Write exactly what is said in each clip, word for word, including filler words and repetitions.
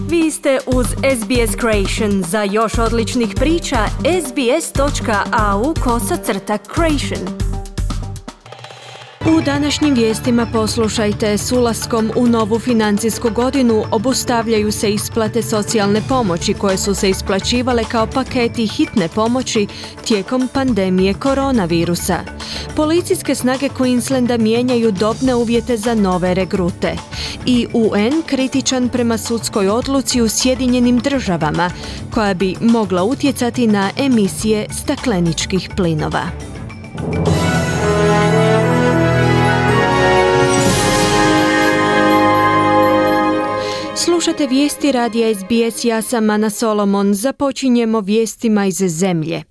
Vi ste uz S B S Creation. Za još odličnih priča, sbs.au kosacrta creation. U današnjim vijestima poslušajte, s ulaskom u novu financijsku godinu obustavljaju se isplate socijalne pomoći koje su se isplaćivale kao paketi hitne pomoći tijekom pandemije koronavirusa. Policijske snage Queenslanda mijenjaju dobne uvjete za nove regrute. I U N kritičan prema sudskoj odluci u Sjedinjenim državama koja bi mogla utjecati na emisije stakleničkih plinova. Slušate vijesti radija S B S, ja sam Ana Solomon. Započinjemo vijestima iz zemlje.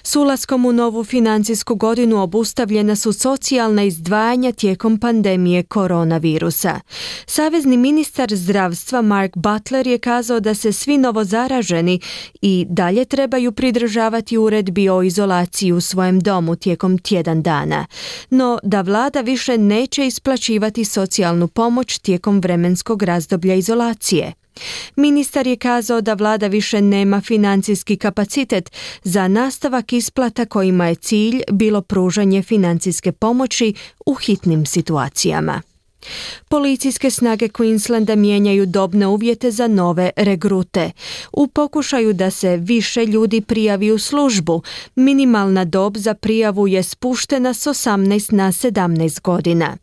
S ulaskom u novu financijsku godinu obustavljena su socijalna izdvajanja tijekom pandemije koronavirusa. Savezni ministar zdravstva Mark Butler je kazao da se svi novozaraženi i dalje trebaju pridržavati uredbi o izolaciji u svojem domu tijekom tjedan dana, no da vlada više neće isplaćivati socijalnu pomoć tijekom vremenskog razdoblja izolacije. Ministar je kazao da vlada više nema financijski kapacitet za nastavak isplata kojima je cilj bilo pružanje financijske pomoći u hitnim situacijama. Policijske snage Queenslanda mijenjaju dobne uvjete za nove regrute. U pokušaju da se više ljudi prijavi u službu, minimalna dob za prijavu je spuštena s osamnaest na sedamnaest godina.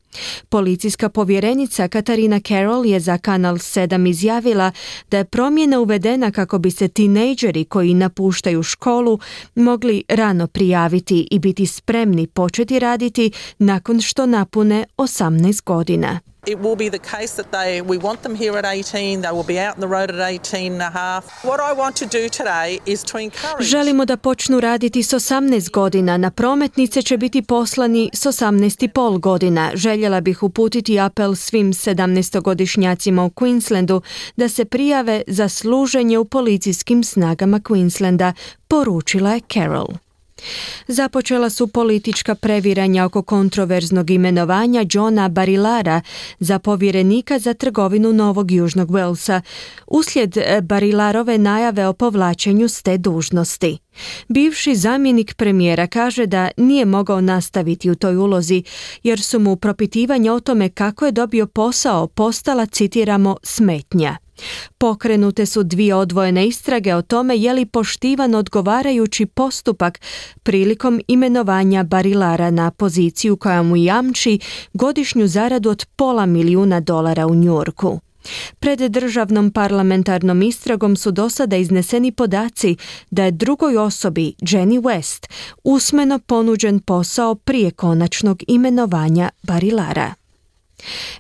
Policijska povjerenica Katarina Carroll je za Kanal sedam izjavila da je promjena uvedena kako bi se tinejdžeri koji napuštaju školu mogli rano prijaviti i biti spremni početi raditi nakon što napune osamnaest godina. It will be the case that they, we want them here at eighteen, they will be out on the road at eighteen and a half. What I want to do today is to encourage... Želimo da počnu raditi s osamnaest godina. Na prometnice će biti poslani s osamnaest i pol godina. Željela bih uputiti apel svim sedamnaestogodišnjacima u Queenslandu da se prijave za služenje u policijskim snagama Queenslanda, poručila je Carroll. Započela su politička previranja oko kontroverznog imenovanja Johna Barilara za povjerenika za trgovinu Novog Južnog Walesa, uslijed Barilarove najave o povlačenju s te dužnosti. Bivši zamjenik premijera kaže da nije mogao nastaviti u toj ulozi jer su mu propitivanja o tome kako je dobio posao postala, citiramo, smetnja. Pokrenute su dvije odvojene istrage o tome je li poštivan odgovarajući postupak prilikom imenovanja Barilara na poziciju koja mu jamči godišnju zaradu od pola milijuna dolara u Njujorku. Pred državnom parlamentarnom istragom su do sada izneseni podaci da je drugoj osobi, Jenny West, usmeno ponuđen posao prije konačnog imenovanja Barilara.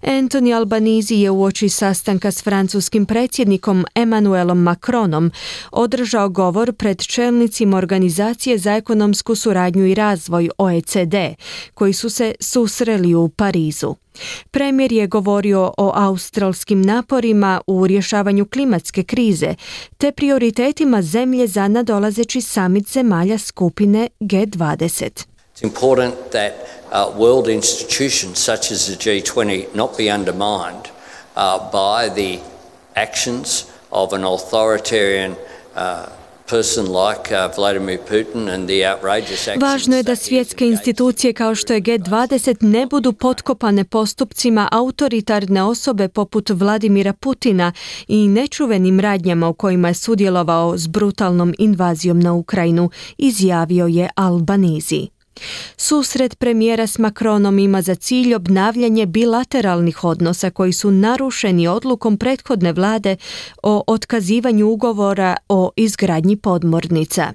Anthony Albanese je uoči sastanka s francuskim predsjednikom Emmanuelom Macronom održao govor pred čelnicima Organizacije za ekonomsku suradnju i razvoj O E C D, koji su se susreli u Parizu. Premijer je govorio o australskim naporima u rješavanju klimatske krize te prioritetima zemlje za nadolazeći samit zemalja skupine G dvadeset. It's important that uh, world institutions such as the G twenty not be undermined uh, by the actions of an authoritarian uh, person like uh, Vladimir Putin and the outrageous actions. Važno je da svjetske institucije kao što je G dvadeset ne budu potkopane postupcima autoritarne osobe poput Vladimira Putina i nečuvenim radnjama u kojima je sudjelovao s brutalnom invazijom na Ukrajinu, izjavio je Albanese. Susret premijera s Macronom ima za cilj obnavljanje bilateralnih odnosa koji su narušeni odlukom prethodne vlade o otkazivanju ugovora o izgradnji podmornica.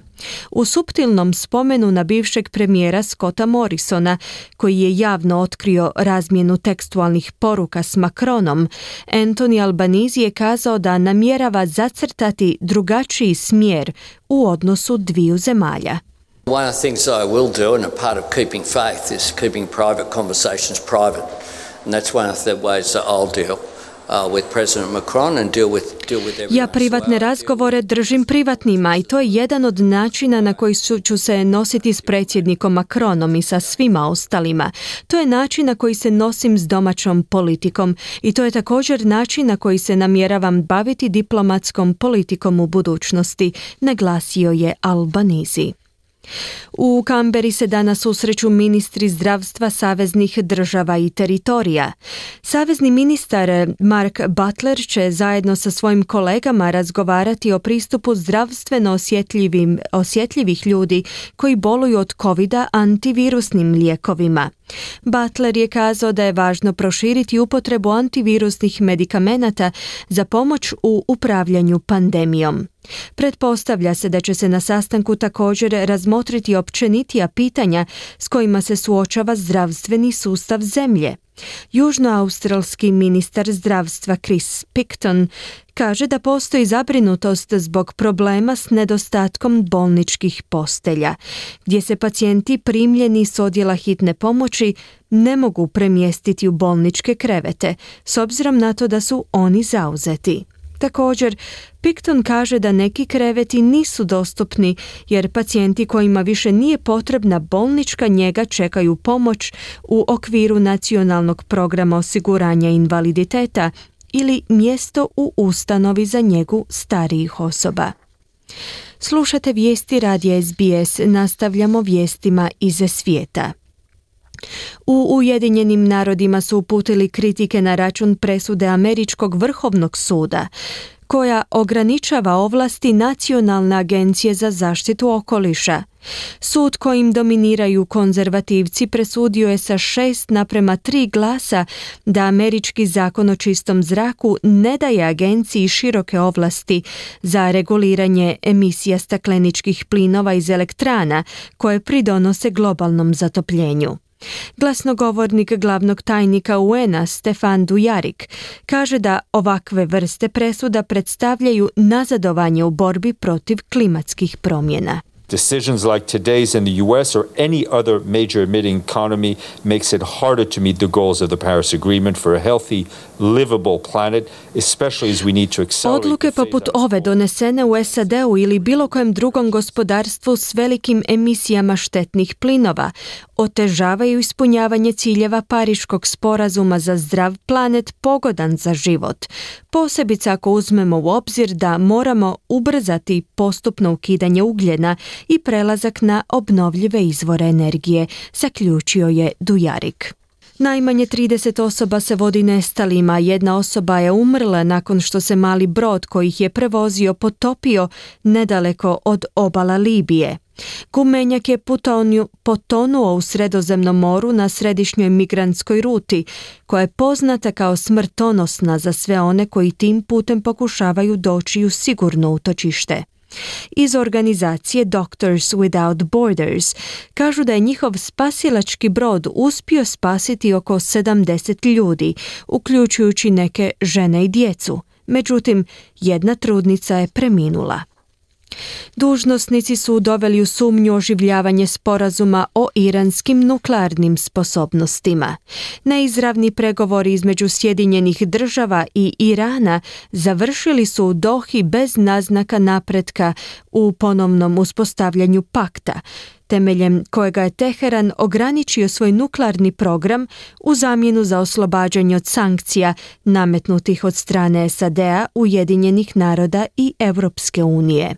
U suptilnom spomenu na bivšeg premijera Scotta Morrisona, koji je javno otkrio razmjenu tekstualnih poruka s Macronom, Anthony Albanese je kazao da namjerava zacrtati drugačiji smjer u odnosu dviju zemalja. One of the things I will do, and a part of keeping faith, is keeping private conversations private. And that's one of the ways that I'll deal with President Macron and deal with deal with everyone. Ja privatne razgovore držim privatnima i to je jedan od načina na koji ću se nositi s predsjednikom Macronom i sa svima ostalima. To je način na koji se nosim s domaćom politikom i to je također način na koji se namjeravam baviti diplomatskom politikom u budućnosti, naglasio je Albanese. U Kamberi se danas susreću ministri zdravstva saveznih država i teritorija. Savezni ministar Mark Butler će zajedno sa svojim kolegama razgovarati o pristupu zdravstveno osjetljivim, osjetljivih ljudi koji boluju od covida antivirusnim lijekovima. Butler je kazao da je važno proširiti upotrebu antivirusnih medikamenata za pomoć u upravljanju pandemijom. Pretpostavlja se da će se na sastanku također razmotriti općenitija pitanja s kojima se suočava zdravstveni sustav zemlje. Južnoaustralski ministar zdravstva Chris Picton kaže da postoji zabrinutost zbog problema s nedostatkom bolničkih postelja, gdje se pacijenti primljeni s odjela hitne pomoći ne mogu premjestiti u bolničke krevete, s obzirom na to da su oni zauzeti. Također, Picton kaže da neki kreveti nisu dostupni jer pacijenti kojima više nije potrebna bolnička njega čekaju pomoć u okviru nacionalnog programa osiguranja invaliditeta ili mjesto u ustanovi za njegu starijih osoba. Slušate vijesti radija S B S, nastavljamo vijestima iz svijeta. U Ujedinjenim narodima su uputili kritike na račun presude Američkog vrhovnog suda, koja ograničava ovlasti Nacionalne agencije za zaštitu okoliša. Sud kojim dominiraju konzervativci presudio je sa šest naprema tri glasa da američki zakon o čistom zraku ne daje agenciji široke ovlasti za reguliranje emisija stakleničkih plinova iz elektrana koje pridonose globalnom zatopljenju. Glasnogovornik glavnog tajnika U N a Stefan Dujarric kaže da ovakve vrste presuda predstavljaju nazadovanje u borbi protiv klimatskih promjena. Decisions like today's in the U S or any other major emitting economy makes it harder to meet the goals of the Paris Agreement for a healthy, livable planet, especially as we need to accelerate. Odluke poput ove donesene u S A D-u ili bilo kojem drugom gospodarstvu s velikim emisijama štetnih plinova otežavaju ispunjavanje ciljeva Pariškog sporazuma za zdrav planet pogodan za život, posebice ako uzmemo u obzir da moramo ubrzati postupno ukidanje ugljena i prelazak na obnovljive izvore energije, zaključio je Dujarric. Najmanje trideset osoba se vodi nestalima, jedna osoba je umrla nakon što se mali brod koji ih je prevozio potopio nedaleko od obala Libije. Gumenjak je putonju, potonuo u Sredozemnom moru na središnjoj migrantskoj ruti, koja je poznata kao smrtonosna za sve one koji tim putem pokušavaju doći u sigurno utočište. Iz organizacije Doctors Without Borders kažu da je njihov spasilački brod uspio spasiti oko sedamdeset ljudi, uključujući neke žene i djecu. Međutim, jedna trudnica je preminula. Dužnosnici su doveli u sumnju oživljavanje sporazuma o iranskim nuklearnim sposobnostima. Neizravni pregovori između Sjedinjenih država i Irana završili su u Dohi bez naznaka napretka u ponovnom uspostavljanju pakta, temeljem kojega je Teheran ograničio svoj nuklearni program u zamjenu za oslobađanje od sankcija nametnutih od strane S A D-a, Ujedinjenih naroda i Europske unije.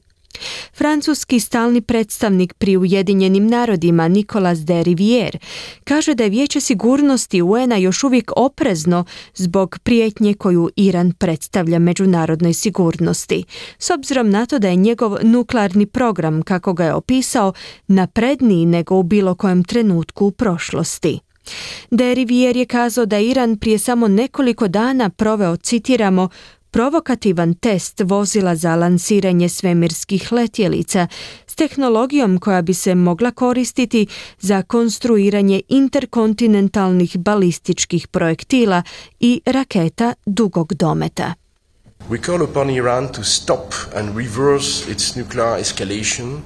Francuski stalni predstavnik pri Ujedinjenim narodima Nicolas de Rivière kaže da je Vijeće sigurnosti U N a još uvijek oprezno zbog prijetnje koju Iran predstavlja međunarodnoj sigurnosti, s obzirom na to da je njegov nuklearni program, kako ga je opisao, napredniji nego u bilo kojem trenutku u prošlosti. De Rivière je kazao da Iran prije samo nekoliko dana proveo, citiramo, provokativan test vozila za lansiranje svemirskih letjelica s tehnologijom koja bi se mogla koristiti za konstruiranje interkontinentalnih balističkih projektila i raketa dugog dometa. We call upon Iran to stop and reverse its nuclear escalation,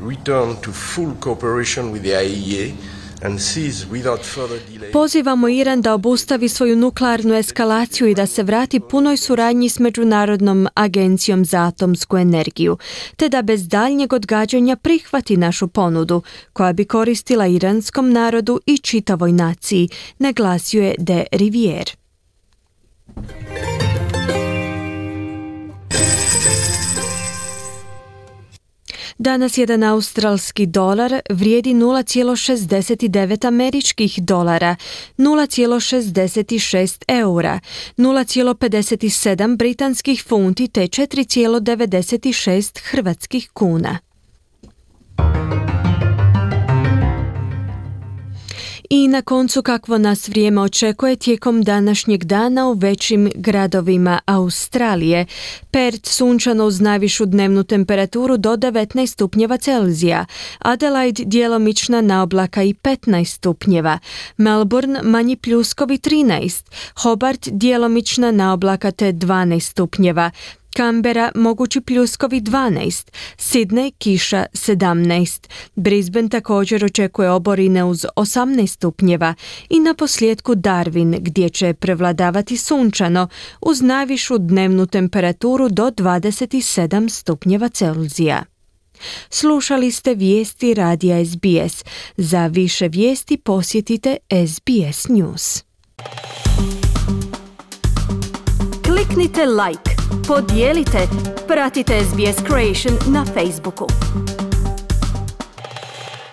return to full cooperation with the I A E A and cease without further delay. Pozivamo Iran da obustavi svoju nuklearnu eskalaciju i da se vrati punoj suradnji s Međunarodnom agencijom za atomsku energiju, te da bez daljnjeg odgađanja prihvati našu ponudu, koja bi koristila iranskom narodu i čitavoj naciji, naglasio je de Rivière. Danas jedan australski dolar vrijedi nula zarez šezdeset devet američkih dolara, nula zarez šezdeset šest eura, nula zarez pedeset sedam britanskih funti te četiri zarez devedeset šest hrvatskih kuna. I na koncu kakvo nas vrijeme očekuje tijekom današnjeg dana u većim gradovima Australije. Perth sunčano uz najvišu dnevnu temperaturu do devetnaest stupnjeva Celzija, Adelaide djelomična naoblaka i petnaest stupnjeva, Melbourne manji pljuskovi trinaest, Hobart djelomična naoblaka te dvanaest stupnjeva, Canberra mogući pljuskovi dvanaest, Sydney kiša sedamnaest, Brisbane također očekuje oborine uz osamnaest stupnjeva i na posljedku Darwin gdje će prevladavati sunčano uz najvišu dnevnu temperaturu do dvadeset sedam stupnjeva Celzija. Slušali ste vijesti radija S B S. Za više vijesti posjetite S B S News. Kliknite like, podijelite, pratite S B S Creation na Facebooku.